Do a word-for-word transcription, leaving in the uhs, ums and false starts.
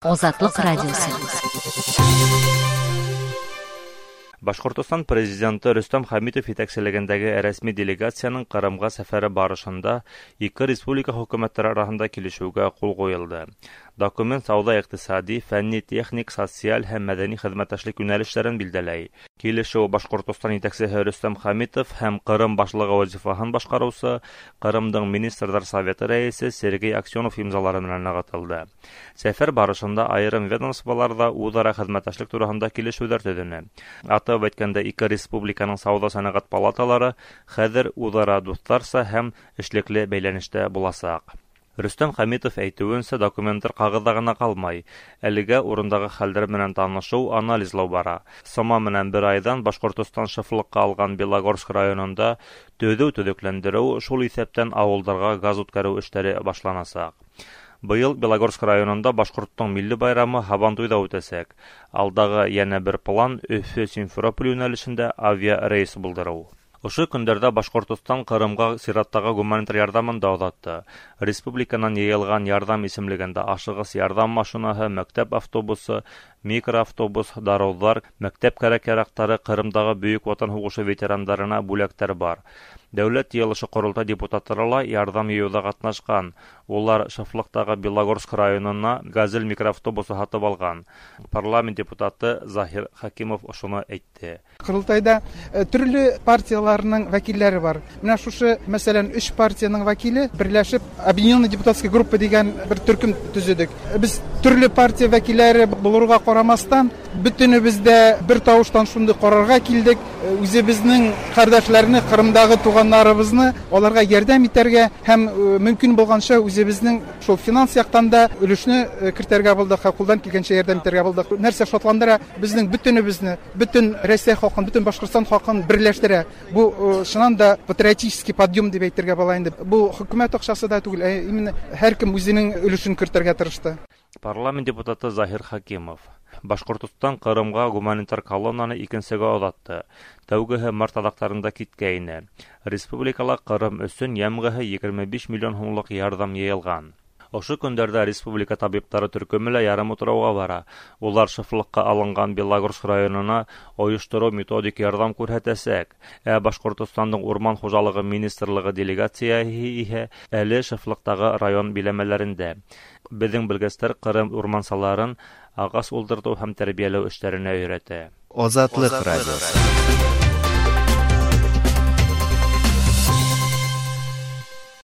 Азатлык радиосы. Башҡортостан президенты Рөстәм Хәмитов етәкселегендәге рәсми делегацияның Ҡырымға сәфәре барышында ике республика хөкүмәттәре араһында килешеүгә ҡул ҡуйылды. Документ сауҙа-иҡтисади, фәнни-техник, социаль һәм мәҙәни хеҙмәттәшлек йүнәлештәрен билдәләй. Килешеү Башҡортостан етәксеһе Рөстәм Хәмитов һәм Ҡырым башлығы вазифаһын башҡарыусы Ҡырымдың Министрҙар Советы рәйесе Сергей Аксенов имзалары менән нығытылды. Сәфәр барышында айырым ведомстволарҙа үҙ-ара хеҙмәттәшлек тураһында килешеүҙәр төҙөнө. Атап әйткәндә, ике республиканың сауҙа-сәнәғәт палаталары хәҙер үҙ-ара дуҫтарса һәм эшлекле бәйләнештә буласаҡ. Рөстәм Хәмитов әйтеүенсә, документтар ҡағыҙҙа ғына ҡалмай. Әлегә урындағы хәлдәр менән танышыу, анализлау бара. Сама менән бер айҙан Башҡортостан шефлыҡҡа алған Белогорск районында төҙөү, төҙөкләндереү, шул иҫәптән ауылдарға газ үткәреү эштәре башланасаҡ. Быйыл Белогорск районында башҡорттоң милли байрамы Һабантуйҙа үтәсәк. Алдағы йәнә бер план Өфө Симферополь йүнәлешендә авиарейс булдырыу. Ошо көндәрҙә Башҡортостан Ҡырымға сираттағы гуманитар ярҙамын да оҙатты. Республиканан йыйылған ярҙам исемлегендә ашығыс ярҙам машинаһы, мәктәп автобусы, микроавтобус, дарыуҙар, мәктәп кәрәк-яраҡтары, Ҡырымдағы Бөйөк Ватан һуғышы ветерандарына бүләктәр бар. Дәүләт йыйылышы ҡоролтай депутаттары ла ярҙам йыйыуҙа ҡатнашҡан. Улар шефлыҡтағы Белогорск районына «Газель» микроавтобусы һатып алған. Парламент депутаты Заһир Хәкимов ошоно әйтте. Ҡоролтайҙа төрлө партияларының вәкилдәре бар. Менә шушы, мәсәлән, өс партияның вәкиле берләшеп Объединенная депутатская группа дигән бер төркөм төзөдек. Без төрлө партия вәкилдәре булырга ҡарамастан, бөтөнөбөҙ дә бер тауыштан шундый ҡарарға килдек. Үҙебеҙҙең ҡәрҙәшләрне, Ҡырымдағы туғандарыбыҙны аларға ярҙам итәргә һәм мөмкин булғанса үҙебеҙҙең шул финанс яҡтан да өлөшнө кертергә булдыҡ, ҡулдан килгәнсә ярҙам итәргә булдыҡ. Нәрсә шатландыра, беҙҙең бөтөнөбөҙнө, бөтөн Рәсәй халҡын, бөтөн Башҡортостан халҡын берләштерә. Бу чыннан да патриотический подъем дип әйтергә була инде. Бу хөкүмәт аҡсасы да түгел, ә именно һәр кем үҙенең өлөшөн кертергә тырышты. Парламент депутаты Заһир Хәкимов. Башҡортостан Ҡырымға гуманитар колоннаны икенсегә оҙатты. Тәүгеһе март аҙаҡтарында киткәйне. Республикала Ҡырым өсөн йәмғеһе егерме биш миллион һумлыҡ ярҙам йыйылған. Ошо көндәрҙә республика табиптары төркөмө лә ярым утрауға бара. Улар шефлыҡҡа алынған Белогорск районына ойоштороу методик ярҙам күрһәтәсәк. Ә Башҡортостандың Урман хужалығы министрлығы делегацияһы иһә әле шефлыҡтағы район биләмәләрендә. Беҙҙең белгестәр Ҡырым урмансыларын ағас ултыртыу һәм тәрбиәләү эштәренә өйрәтә. Азатлыҡ радиосы.